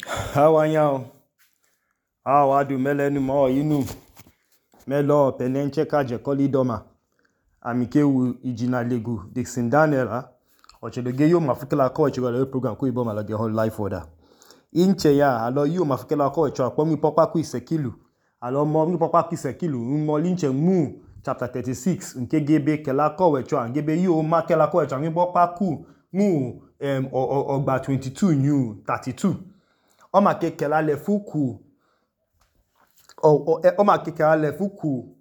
Awanyao, awadu melenu mo inu melo penenche kaje kolidoma amikewu ijina legu Dixon Daniel ochedoge yo mafukela ko echegole program ko ibo malage whole life order inche ya alo yo mafukela ko echo apomi popa ku isekilu alo mo mi popa ku isekilu mo linche mu chapter 36 nke gebe kela ko echo angebe yo makela ko echo mi popa ku mu ogba 22 new 32 Oma kekela le fuku Oma kekela le fuku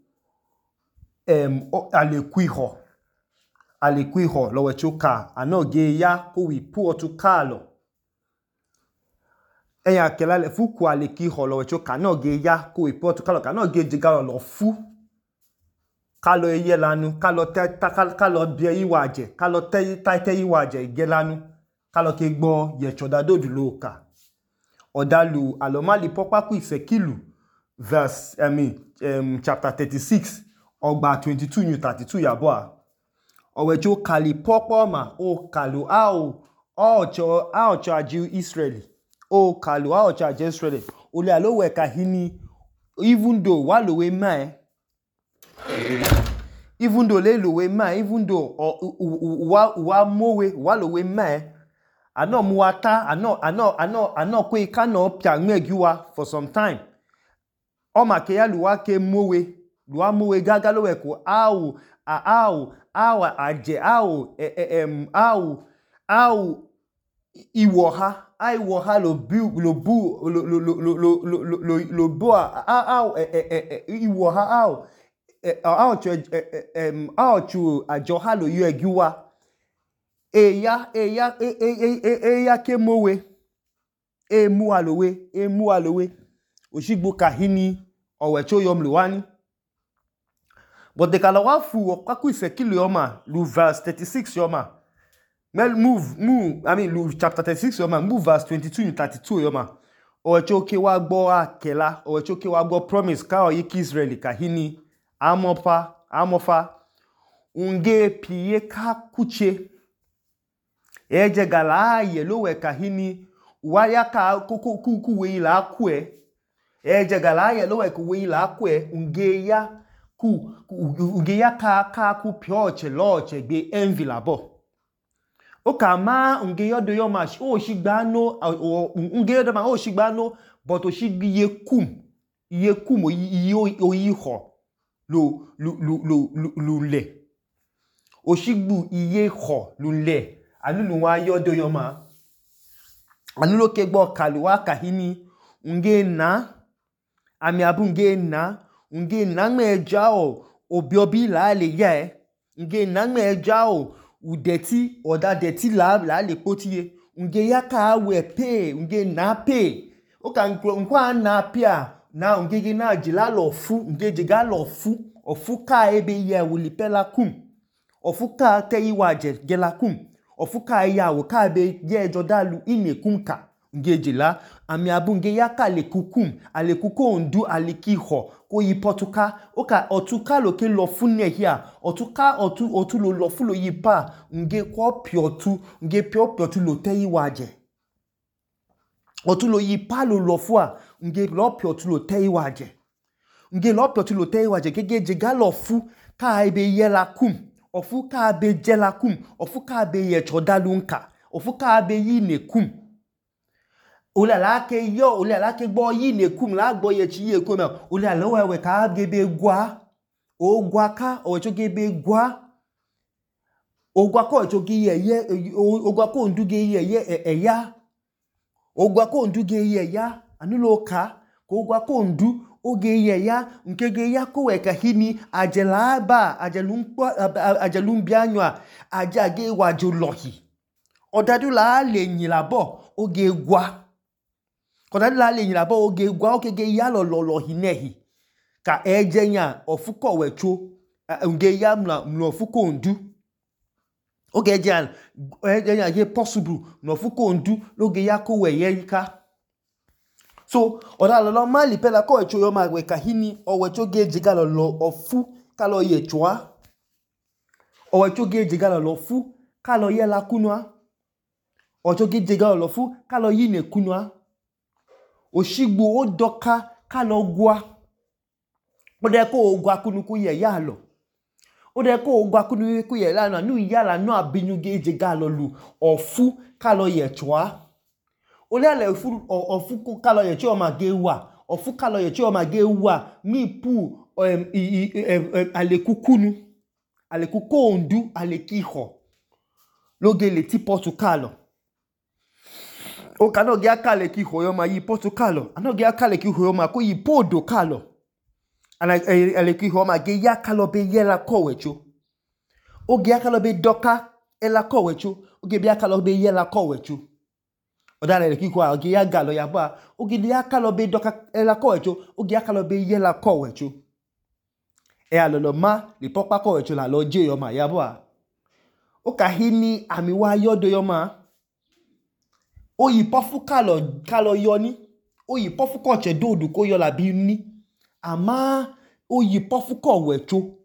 alekuiho lo wechoka anoge ya ko wi pu otu kalo eya kela le fuku alekiho lo wechoka anoge ya ko wi pu otu kalo kanoge jigalo lo fu kalo eye lanu kalo bie iwaje kalo te iwaje igelanu kalo ke gbo ye chodadodu loka Odalu alomali popa ku isekilu chapter 36 ogba 22 new 32 yaboa owecho kali popa ma o kalu aocho aji Israeli o kalu aocho aji Israeli ole alowe kahini even though walowe mai even though wa mowe walowe mai ano muwata ano kwe kano pia nwegiwa for some time Oma ke ya luwa ke mowe gaga lowe ko iwoha lo iwoha aochu ajoha lo yegiwa eya ke mowe emu alowe oshigbo kahini owecho yomlu wani but the kala wafu okwaku isekilu yoma lu verse 36 yoma lu chapter 36 yoma move verse 22 to 32 yoma owecho ke wa gbo akela owecho ke wa gbo promise ka oyiki Israeli kahini amofa unge piye ka kuche eje gala aye lowe kahini waya ka kuwe ila akwe eje gala aye lowe kuwe ila akwe unge ya ka ku pioche loche gbe envy labo oka ma unge yodo yoma o shigbano unge yodo ma o shigbano but o shigbi yekum oyiho lule oshigbu iye ho lule anunu wa yodo yoma anulo kegbo kaluwa kahini unge na ami abu unge na mejao obiobi la le ye unge na mejao udeti oda deti la le potiye unge yaka we pay unge na pay oka nkwa na pia na unge na jila lo fu unge jiga lo fu ofuka ebe ye wulipela kum ofuka te iwaje gela kum ofuka yawo ka be ye jodalu inekumka nge jila ami abu nge yaka alekuko ondu alikiho ko yipotuka oka otuka lo ke lo fune hia otu lo fu lo yipa nge ko piotu nge piotu lo te iwaje otu lo yipa lo fua nge lo piotu lo te iwaje nge lo piotu lo te iwaje kege jiga lo fu ka ebe yela kum ofu ka be jela kum ofu ka be ye chodalu nka ofu ka be yine kum ole ala ke gbo yine kum la gbo ye chi ye kum ole ala wewe ka gebe gwa o gwa ka owecho gebe gwa ogwa ko owecho ge ye ogwa ko nduge ye eya ogwa ko nduge ye ya anulo ka ko ogwa ko ndu oge ye ya nkege ya ko we kahini ajelumbianywa ajage wajo lohi odadu la le yin labo oge gwa kodadu la le yin labo oge gwa okege ya lo hinehi ka ejenya ofuko wecho nge ya mlo ofuko ndu oge ejenya ye possible no ofuko ndu loge ya ko we ye yika so odalo lo mali pela ko echo yo magwe kahini owecho geji galo lo ofu kalo ye chwa owecho geji galo lo fu kalo ye la kunwa owecho geji galo lo fu kalo yine kunwa Oshigbu odoka kalo gwa. Ode ko gwa kunu ku ye ya lo. Ode ko gwa kunu ku ye la nu ya la nu abinu geje galo lu ofu kalo ye chwa. Ode ale ofu kalo ye chwa ma ge wa. Ofu kalo ye chwa ma ge wa mi pu alekukunu. Alekuko ondu alekiho. Loge le ti potu kalo. O kano ge akale ki hoyo ma yi potu kalo. Ano ge akale ki hoyo ma ko yi podo kalo. Aleki hoyo ma ge ya kalo be ye la kowecho. O ge akalo be doka ela kowecho. O ge be akalo be ye la kowecho. Oda aleki hoyo o ge ya galo ya ba. O ge ya akalo be doka ela kowecho. O ge akalo be ye la kowecho. E alolo ma li pokpa kowecho la lo je yo ma ya ba. O ka hini ami wa yodo yo ma. O yi pofu kalo yoni. O yi pofu koche dodu ko yo la bi ni. Ama o yi pofu kowecho.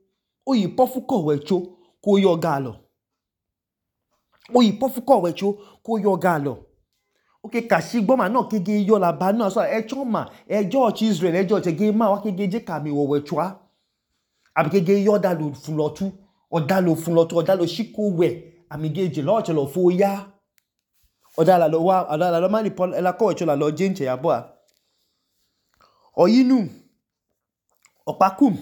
O yi pofu kowecho ko yo galo. O yi pofu kowecho ko yo galo. Oke kashigbo ma no kege yo la ba no so echo ma George Israel George ge ma wa kege je kami wowechwa. Abi kege yo dalo fulotu. Odalo fulotu odalo shiko we. Ami geje lo chelo fo ya. Odala lo mani pol ela kowecho la lo jenche ya boa. Oyinu opakum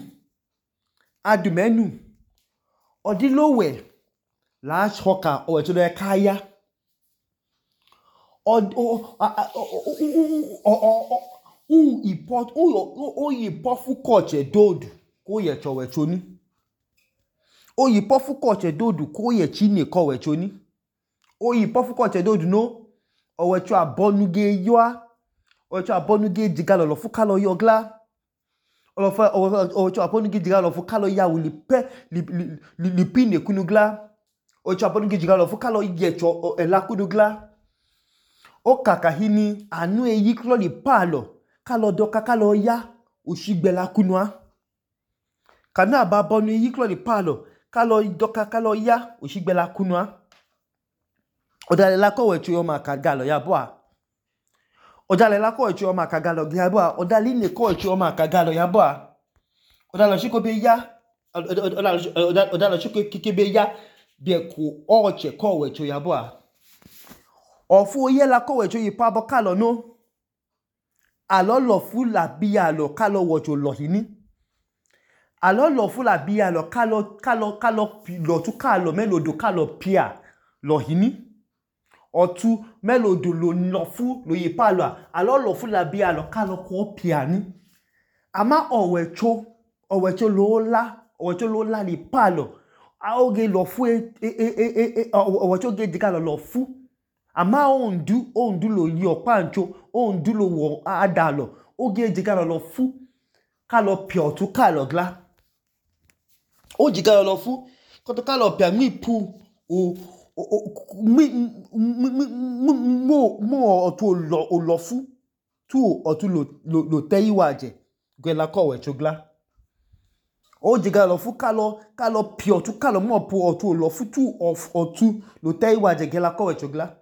adumenu odilowe la shoka owecho le kaya. O yi pofu koche dodu ko ye chowecho ni. O yi pofu koche dodu ko ye chine kowecho ni. O yi pofu koche dodu no. Owecho abonuge yoa. Owecho abonuge jigalo lo fuka lo yogla. Owecho abonuge jigalo lo fuka lo ya li pine kunugla. Owecho abonuge jigalo lo fuka lo yecho ela kunugla. O kaka hini anu yiklo li palo. Kalo doka kalo ya. Oshigbe la kunwa. Kanu ababonu yiklo li palo. Kalo doka kalo ya. Oshigbe la kunwa. Odale la kowecho yo ma kagalo ya boa. Odale la kowecho yo ma kagalo ya boa. Odale ne kowecho yo ma kagalo ya boa. Odale shiko be ya. Odale shiko kike be ya. Be ku oche kowecho ya boa. Ofu ye la kowecho yi pabo kalo no. Alo lofu la biya lo kalo wocho lohini. Alo lofu la biya lo kalo lotu kalo melodo kalo pia lohini. Otu melodo lo lofu lo yi palo. Alo lofu la biya lo kalo ko pia ni. Ama owecho lo la li palo. Oge lofu owecho ge digalo lofu. Ama ondu lo yi opancho. Ondu lo wo adalo. Oge digalo lofu. Kalo pia otu kalo gla. O digalo lofu. Koto kalo pia mi pu. Mo otu olofu. Tu otu lo te iwaje. Gwe la kowecho gla. O digalo lofu kalo pia otu kalo mo pu otu olofu. Tu otu lo te iwaje gwe la kowecho gla.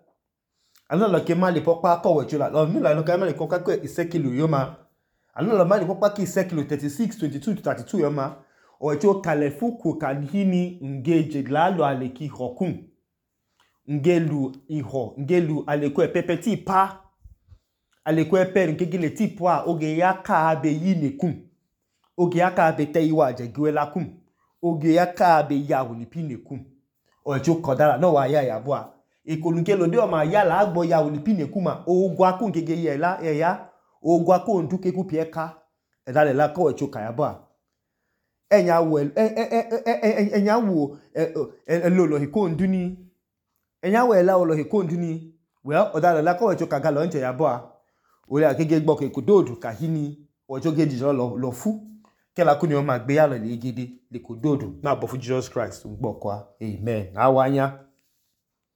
Ano lo ke mali pokpa kowecho la. Lo la lo ke mali pokpa ke isekilu yo ma. Ano lo mali pokpa ke isekilu 36, 22 to 32 yo ma. Owecho kalefuku kanhini ngeje la lo aleki hokun. Ngelu iho. Ngelu aleku epepe ti pa. Aleku epe nkegile ti pa. Oge yaka abe yinekun. Oge yaka abe te iwaje gwe la kun. Oge yaka abe ya wulipine kun. Owecho kodala no wa ya boa. Ikolunke lo de o ma ya la agbo ya wulipine kuma. Ogwa kun kege ye la ya. Ogwa kun nduke ku pieka. Edale la kowecho kaya boa. Enya wo lolo hiko nduni. Enya wo ela lolo hiko nduni. Well, odale la kowecho kagalo nche ya boa. Ole akege gbo ke kudodu kahini. Owecho ge dijolo lo fu. Kela kuni o ma gbe ya lo le gidi. Le kudodu. Na bofu Jesus Christ. Ngbo kwa. Amen. Awanya.